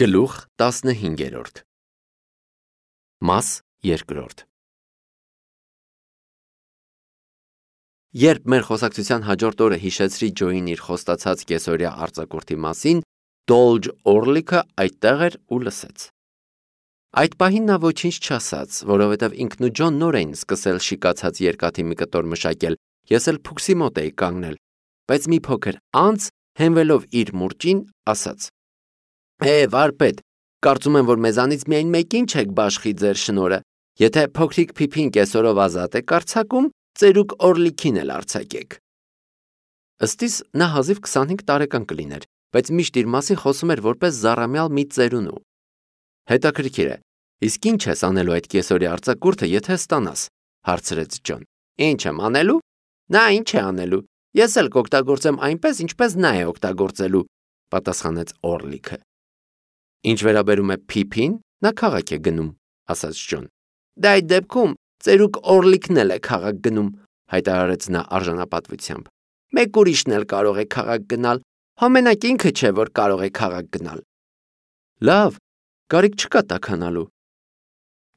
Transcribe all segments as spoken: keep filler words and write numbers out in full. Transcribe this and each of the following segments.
Գլուխ տասնհինգերորդ Մաս երկրորդ Երբ մեր խոսակցության հաջորդ օրը հիշեցրի Ջոյին իր խոստացած կեսօրյա արձակուրդի մասին, Դոլջ Օրլիքը այդտեղ էր ու լսեց։ Այդ պահին նա ոչինչ չասաց, որովհետև ինքն ու Ջոն նոր էին սկսել շիկացած երկաթի մի կտոր մշակել, ես էլ փուքսի մոտ էի կանգնել, բայց մի փոքր անց, հենվելով իր մուրճին, ասաց. Է, վարպետ, կարծում եմ, որ մեզանից միայն մեկին չեք բաշխի ձեր շնորը, եթե փոքրիկ Փիփին կեսօրով ազատ է արձակում, ծերուկ Օրլիքին էլ արձակեք։ Ըստիս նա հազիվ քսանհինգ տարեկան կլիներ, բայց միշտ իր մասին խոսում էր որպես զառամյալ մի ծերունու։ Հետաքրքիր է, իսկ ինչ ես անելու այդ կեսօրյա արձակուրդը, եթե ստանաս, հարցրեց Ջոն։ Ինչ եմ անելու։ Նա ինչ է անելու։ Ես էլ կօգտագործեմ այնպես, ինչպես նա է օգտագործելու, պատասխանեց Օրլիքը։ Ինչ վերաբերում է Փիփին, նա քաղաք է գնում, ասաց Ջոն։ Դա այդ դեպքում ծերուկ Օրլիքն էլ է քաղաք գնում, հայտարարեց նա արժանապատվությամբ։ Մեկ ուրիշն էլ կարող է քաղաք գնալ, համենակ ինքը չէ, որ կարող է քաղաք գնալ։ Լավ, կարիք չկա տաքանալու։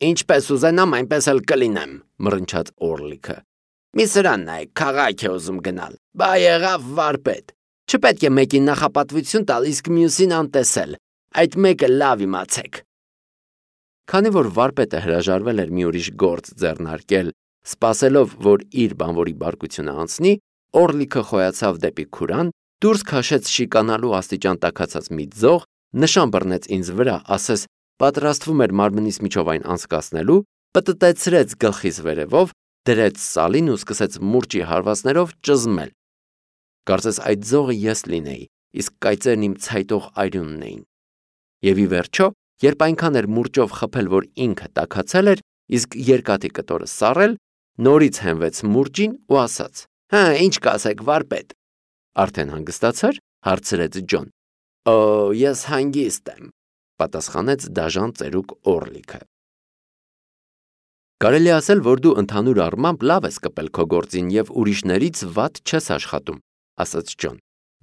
Ինչպես ուզենամ, այնպես էլ կլինեմ, մռնչաց Օրլիքը։ Մի սրան նայեք, քաղաք է ուզում գնալ։ Բա եղավ վարպետ։ Չպետք է մեկին նախապատվություն տալ, իսկ մյուսին անտեսել։ Այդ մեկը լավ իմացեք։ Քանի որ վարպետը հրաժարվել էր մի ուրիշ գործ ձեռնարկել, սպասելով, որ իր բանվորի բարկությունը անցնի, Օրլիքը խոյացավ դեպի քուրան, դուրս քաշեց շիկանալու աստիճան տաքացած մի ձող, նշան բռնեց ինձ վրա, ասես պատրաստվում էր մարմնից միջով այն անցկացնելու, պտտեցրեց գլխիս վերևով, դրեց սալին ու սկսեց մուրճի հարվածներով ճզմել։ Կարծես այդ ձողը ես լինեի, իսկ կայծերն իմ ցայտող արյունն էին։ Եվ ի վերջո, երբ այնքան էր մուրճով խփել, որ ինքը տաքացել էր, իսկ երկաթի կտորը սառել, նորից հենվեց մուրճին ու ասաց. Հա, ինչ կասեք, վարպետ։ Արդեն հանգստացար, հարցրեց Ջոն։ Օ, ես հանգիստ եմ, պատասխանեց դաժան ծերուկ Օրլիքը։ Կարելի ասել, որ դու ընդհանուր առմամբ լավ ես կպել քո գործին եւ ուրիշներից վատ չես աշխատում, ասաց Ջոն։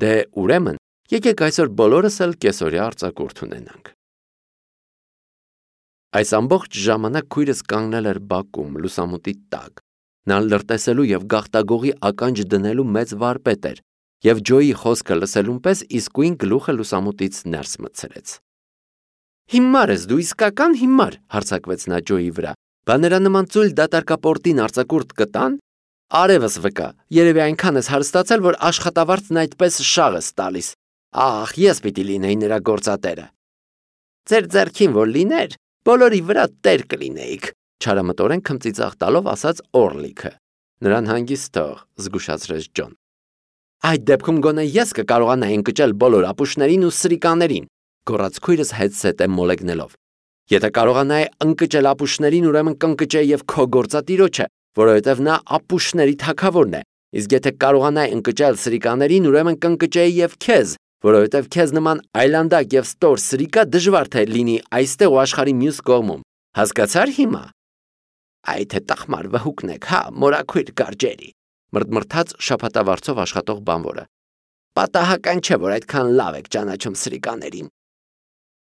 Դե ուրեմն, եկեք այսօր բոլորս էլ կեսօրյա արձակուրդ ունենանք։ Այս ամբողջ ժամանակ քույրս կանգնել էր բակում, լուսամուտի տակ։ Նա լրտեսելու եւ գաղտագողի ականջ դնելու մեծ վարպետ էր, եւ Ջոյի խոսքը լսելուն պես իսկույն գլուխը լուսամուտից ներս մտցրեց։ Հիմար ես դու, իսկական հիմար, հարձակվեց նա Ջոյի վրա։ Բա նրա նման ծույլ դատարկապորտին արձակուրդ կտան։ Արևս վկա, երևի այնքան ես հարստացել, որ աշխատավարձն այդպես շաղ ես տալիս։ Ահ, ես պիտի լինեի նրա գործատերը։ Ձեր ձեռքին որ լիներ, բոլորի վրա տեր կլինեիք, չարամտորեն քմծիծաղ տալով ասաց Օրլիքը։ Նրան հանգիստ թող, զգուշացրեց Ջոն։ Այդ դեպքում գոնե ես կկարողանայի ընկճել բոլոր ապուշներին ու սրիկաներին, գոռաց քույրս հետսետե մոլեգնելով։ Եթե կարողանայի ընկճել ապուշներին, ուրեմն կընկճեի եւ քո գործատիրոջը, որովհետեւ նա ապուշների թագավորն է, իսկ եթե կարողանայի ընկճել սրիկաներին, ուրեմն կընկճեի եւ քեզ, որովհետեւ քեզ նման այլանդակ եւ ստոր սրիկա դժվար թե լինի այստեղ ու աշխարհի մյուս կողմում։ Հասկացար հիմա։ Այդ է տախմար վհուկն եք, հա, մորաքույր գարջերի, մրթմրթաց շփատավարձով աշխատող բանվորը։ Պատահական չէ, որ այդքան լավ եք ճանաչում սրիկաներին։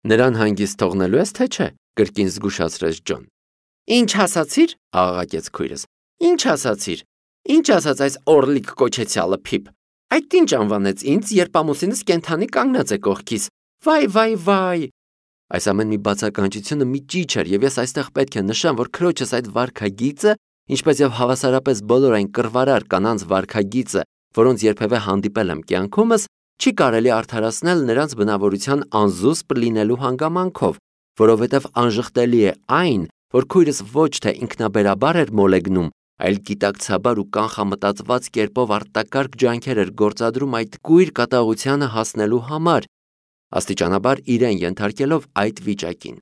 Նրան հանգիստ թողնելու ես, թե չէ, կրկին զգուշացրեց Ջոն։ Ինչ ասացիր, աղաղակեց քույրս։ Ինչ ասացիր։ Ինչ ասաց այս Օրլիկ կոչեցյալը Փիփ։ Այդ ինչ անվանեց ինձ, երբ ամուսինս կենթանի կանգնած է կողքիս։ Վայ, վայ, վայ։ Այս ամեն մի բացականչությունը մի ճիչ էր, եւ ես այստեղ պետք է նշեմ, որ քրոջս այդ վարքագիծը, ինչպես եւ հավասարապես բոլոր այն կռվարար կանանց վարքագիծը, որոնց երբևէ հանդիպել եմ կյանքումս, չի կարելի արդարացնել նրանց բնավորության անզուսպ լինելու հանգամանքով, որովհետև անժխտելի է այն, որ քույրս ոչ թե ինքնաբերաբար էր մոլեգնում, այլ գիտակցաբար ու կանխամտածված կերպով արտակարգ ջանքեր էր գործադրում այդ կույր կատաղությանը հասնելու համար, աստիճանաբար իրեն ենթարկելով այդ վիճակին։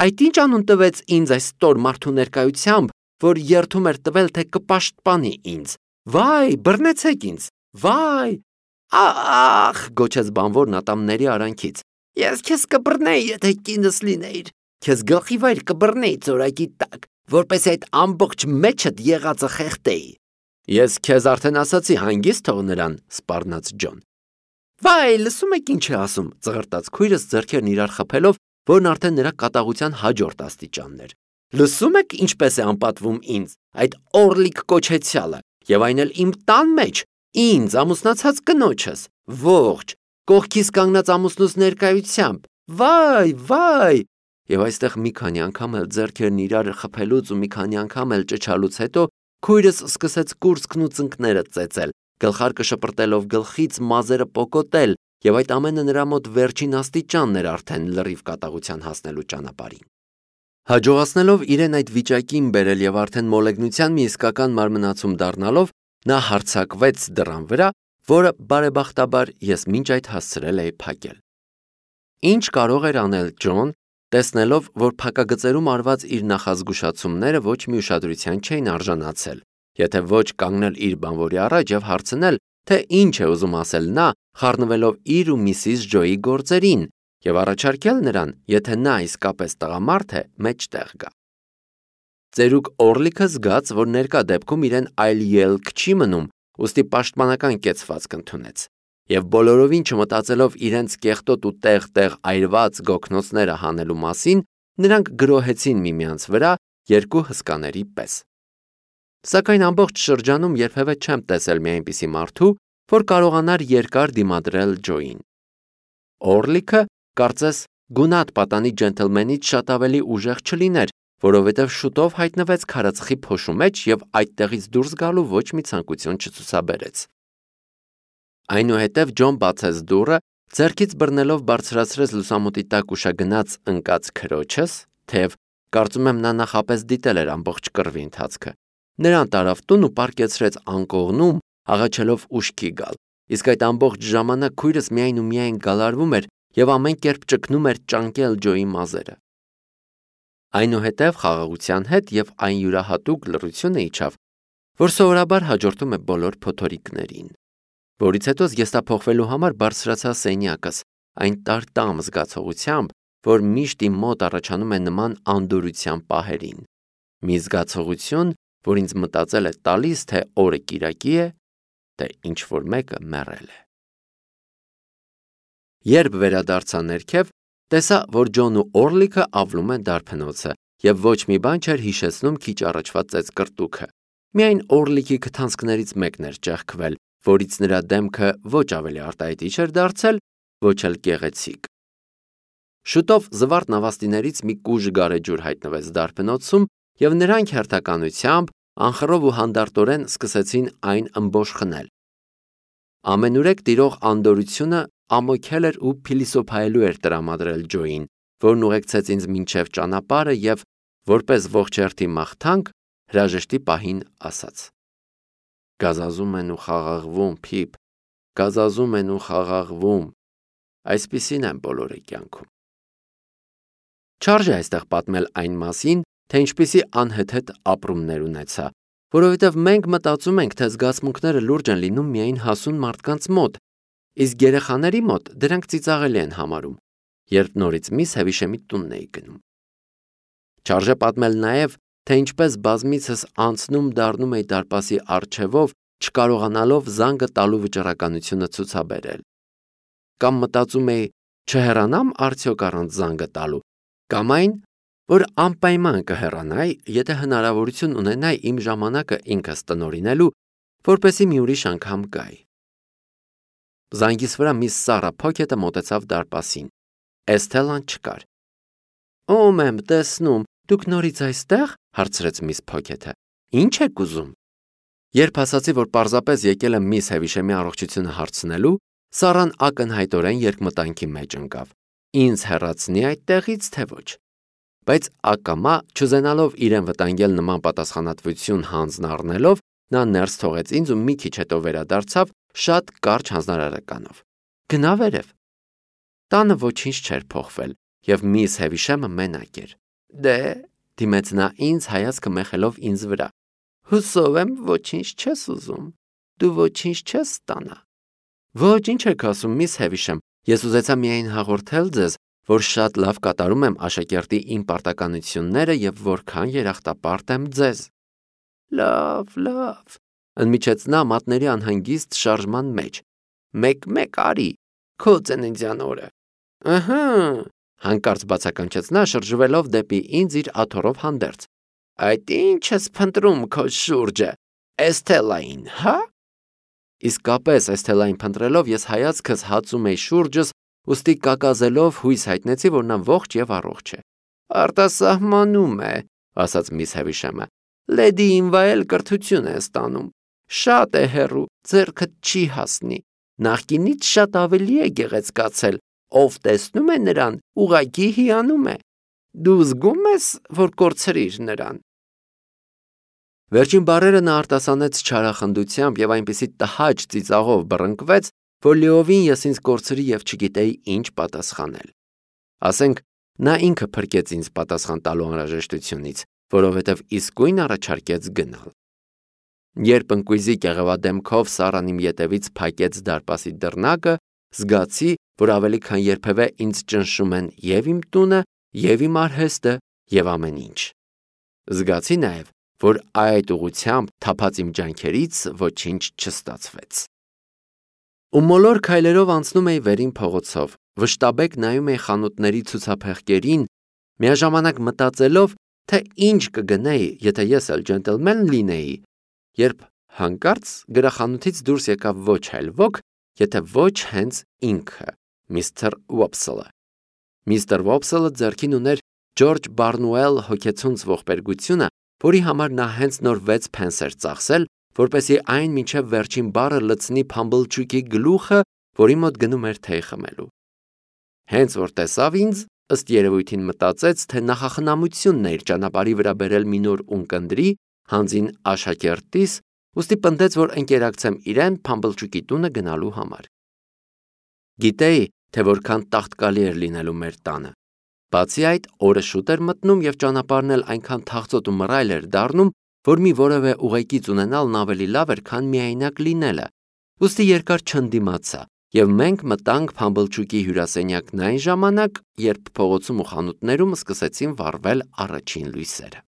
Այդ ինչ անուն տվեց ինձ այս ստոր մարդու ներկայությամբ, որ երդում էր տվել, թե կպաշտպանի ինձ։ Վայ, բռնեցեք ինձ։ Վայ։ Ախ, գոչեց բանվորն ատամների արանքից։ Ես քեզ կբռնեի, եթե կինս լինեիր։ Քեզ գլխի վայր կբռնեի ծորակի տակ, որպես այդ ամբողջ մեջդ եղածը խեղդեի։ Ես քեզ արդեն ասացի, հանգիստ թող նրան, սպառնաց Ջոն։ Վայ, լսում եք ինչ է ասում, ծղրտաց քույրս ձեռքերն իրար խփելով, որն արդեն նրա կատաղության հաջորդ աստիճանն էր։ Լսում եք ինչպես է անպատվում ինձ, այդ օրլիկ կոչեցյալը, եւ այն էլ իմ տան մեջ, ինձ ամուսնացած կնոջս, ողջ, կողքիս կանգնած ամուսնուս ներկայությամբ, վայ, վայ։ Եվ այստեղ մի քանի անգամ էլ ձեռքերն իրար խփելուց ու մի քանի անգամ էլ ճչալուց հետո քույրս սկսեց կուրծքն ու ծնկները ծեծել, գլխարկը շպրտելով գլխից մազերը պոկոտել, եւ այդ ամենը նրա մոտ վերջին աստիճանն էր արդեն լրիվ կատաղության հասնելու ճանապարհին։ Հաջողացնելով իրեն այդ վիճակին բերել եւ արդեն մոլեգնության մի իսկական մարմնացում դառնալով, նա հարձակվեց դռան վրա, որը բարեբախտաբար ես մինչ այդ հասցրել էի փակել։ Ինչ կարող էր անել Ջոն, տեսնելով, որ փակագծերում արված իր նախազգուշացումները ոչ մի ուշադրության չէին արժանացել, եթե ոչ կանգնել իր բանվորի առաջ եւ հարցնել, թե ինչ է ուզում ասել նա, խառնվելով իր ու միսիս Ջոյի գործերին, եւ առաջարկել նրան, եթե նա իսկապես տղամարդ է, մեջտեղ գա։ Ծերուկ Օրլիքը զգաց, որ ներկա դեպքում իրեն այլ ելք չի մնում, ուստի պաշտպանական կեցվածք ընդունեց, եւ բոլորովին չմտածելով իրենց կեղտոտ ու տեղ-տեղ այրված գոքնոցները հանելու մասին, նրանք գրոհեցին միմյանց վրա երկու հսկաների պես։ Սակայն ամբողջ շրջանում երբևէ չեմ տեսել մի այնպիսի մարդու, որ կարողանար երկար դիմադրել Ջոյին։ Օրլիքը, կարծես, գունատ պատանի ջենթլմենից շատ ավելի ուժեղ չլիներ, որովհետև շուտով հայտնվեց քարածխի փոշու մեջ եւ այդտեղից դուրս գալու ոչ մի ցանկություն չցուցաբերեց։ Այնուհետև Ջոն բացեց դուռը, ձեռքից բռնելով բարձրացրեց լուսամուտի տակ ուշագնաց ընկած քրոջս, թեև կարծում եմ նա նախապես դիտել էր ամբողջ կռվի ընթացքը։ Նրան տարավ տուն ու պառկեցրեց անկողնում, աղաչելով ուշքի գալ, իսկ այդ ամբողջ ժամանակ քույրս միայն ու միայն գալարվում էր եւ ամեն կերպ ճգնում էր ճանկել Ջոյի մազերը։ Այնուհետև խաղաղության հետ եւ այն յուրահատուկ լռությունը իջավ, որ սովորաբար հաջորդում է բոլոր փոթորիկներին, որից հետո զգեստափոխվելու համար բարձրացա սենյակս, այն տարտամ զգացողությամբ, որ միշտ իմ մոտ առաջանում է նման անդորրության պահերին, մի զգացողություն, որ ինձ մտածել է տալիս, թե օրը կիրակի է, թե ինչ որ մեկը մեռել է։ Երբ վերադարձա ներքև, տեսա, որ Ջոնն ու Օրլիքը ավլում են դարբնոցը եւ ոչ մի բան չէր հիշեցնում քիչ առաջվա ծեծկրտուքը։ Միայն Օրլիքի քթանցքներից մեկն էր ճեղքվել, որից նրա դեմքը ոչ ավելի արտահայտիչ էր դարձել, ոչ էլ գեղեցիկ։ Շուտով զվարթ նավաստիներից մի կուժ գարեջուր հայտնվեց դարբնոցում եւ նրանք հերթականությամբ անխռով ու հանդարտորեն սկսեցին այն ըմբոշխ խնել։ Ամենուրեք տիրող անդորրությունը ամոքել էր ու փիլիսոփայելու էր տրամադրել Ջոյին, որն ուղեկցեց ինձ մինչև ճանապարհը եւ որպես ողջ հերթի մաղթանք հրաժեշտի պահին ասաց. Գազազում են ու խաղաղվում, Փիփ, գազազում են ու խաղաղվում, այսպիսին են բոլորի կյանքում։ Չարժե այստեղ պատմել այն մասին, թե ինչպիսի անհեթեթ ապրումներ ունեցա, որովհետև մենք մտածում ենք, թե զգացմունքները լուրջ են լինում միայն հասուն մարդկանց մոտ, իսկ երեխաների մոտ դրանք ծիծաղելի են համարում, երբ նորից միս Հևիշեմի տունն էի գնում։ Չարժե պատմել նաև, թե ինչպես բազմիցս անցնում դառնում էի դարպասի առջևով, չկարողանալով զանգը տալու վճռականությունը ցուցաբերել։ Կամ մտածում էի, չհեռանամ արդյոք առանց զանգը տալու, կամ այն, որ անպայման կհեռանայի, եթե հնարավորություն ունենայի իմ ժամանակը ինքս տնօրինելու, որպեսզի մի ուրիշ անգամ գայի։ Զանգիս վրա մի սառը փոքեթը մոտեցավ դարպասին։ Էսթելան չկար։ Ո՞մ եմ տեսնում, դուք նորից այստեղ, հարցրեց միս Փոքեթը։ Ինչ եք ուզում։ Երբ ասացի, որ պարզապես եկել եմ միս Հևիշեմի առողջությունը հարցնելու, Սառան ակնհայտորեն երկմտանքի մեջ ընկավ։ Ինձ հեռացնի այդտեղից, թե ոչ։ Բայց ակամա, չուզենալով իրեն վտանգել նման պատասխանատվություն հանձն առնելով, նա ներս թողեց ինձ ու մի քիչ հետո վերադարձավ շատ կարճ հանձնարարականով։ Գնա վերև։ Տանը ոչինչ չէր փոխվել, եւ միս Հևիշեմը մենակ էր։ Դե, դիմեց նա ինձ հայացքը մեխելով ինձ վրա։ Հուսով եմ, ոչինչ չես ուզում։ Դու ոչինչ չես ստանա։ Ոչ, ինչ եք ասում, միս Հևիշեմ, ես ուզեցա միայն հաղորդել ձեզ, որ շատ լավ կատարում եմ աշակերտի իմ պարտականությունները եւ որքան երախտապարտ եմ ձեզ։ Լավ, լավ, ընդմիջեց նա մատների անհանգիստ շարժման մեջ։ Մեկ-մեկ արի, Քո ծննդյան օրը։ Ահա, հանկարծ բացականչեց նա, շրջվելով դեպի ինձ իր աթոռով հանդերձ։ Այդ ինչ ես փնտրում քո շուրջը, Էսթելային, հա՞։ Իսկապես Էսթելային փնտրելով ես հայացքս հացում էի շուրջս, ուստի կակազելով հույս հայտնեցի, որ նա ողջ եւ առողջ է։ Արտասահմանում է, ասաց միս Հևիշեմը։ Լեդիին վայել կրթություն է ստանում։ Շատ է հեռու, ձեռքդ չի հասնի։ Նախկինից շատ ավելի է գեղեցկացել, ով տեսնում է նրան, ուղղակի հիանում է։ Դու զգում ես, որ կորցրիր նրան։ Վերջին բառերը նա արտասանեց չարախնդությամբ եւ այնպիսի տհաճ ծիծաղով բռնկվեց, որ լիովին ես ինձ կորցրի եւ չգիտեի ինչ պատասխանել։ Ասենք, նա ինքը փրկեց ինձ պատասխան տալու անհրաժեշտությունից, որովհետեւ իսկույն առաջարկեց գնալ։ Երբ ընկույզի կեղևադեմքով Սառան իմ ետևից փակեց դարպասի դռնակը, զգացի, որ ավելի քան երբևէ ինձ ճնշում են եւ իմ տունը, եւ իմ արհեստը, եւ ամեն ինչ։ Զգացի նաեւ, որ այդ ուղությամբ թափած իմ ջանքերից ոչինչ չստացվեց։ Ու մոլոր քայլերով անցնում էի վերին փողոցով, վշտաբեկ նայում էի խանութների ցուցափեղկերին, միաժամանակ մտածելով, թե ինչ կգնեի, եթե ես էլ ջենտլմեն լինեի, երբ հանկարծ գրախանութից դուրս եկավ ոչ այլ ոք, եթե ոչ հենց ինքը, միստր Ուոփսելը։ Միստր Ուոփսելը ձեռքին ուներ Ջորջ Բարնուել հոգեցունց ողբերգությունը, որի համար նա հենց նոր վեց փենս էր ծախսել, որպեսզի այն մինչև վերջին բառը լցնի Փամբլչուկի գլուխը, որի մոտ գնում էր թեյ խմելու։ Հենց որ տեսավ ինձ, ըստ երևույթին մտածեց, թե նախախնամությունն է իր ճանապարհի վրա բերել մի նոր ունկնդրի, հանձին աշակերտիս, ուստի պնդեց, որ ընկերակցեմ իրեն Փամբլչուկի տունը գնալու համար։ Գիտեի, թե որքան տաղտկալի էր լինելու մեր տանը։ Բացի այդ, օրը շուտ էր մտնում եւ ճանապարհն էլ այնքան թախծոտ ու մռայլ էր դառնում, որ մի որևէ ուղեկից ունենալն ավելի լավ էր, քան միայնակ լինելը։ Ուստի երկար չընդդիմացա, եւ մենք մտանք Փամբլչուկի հյուրասենյակն այն ժամանակ, երբ փողոցում ու խանութներում սկսեցին վառվել առաջին լույսերը։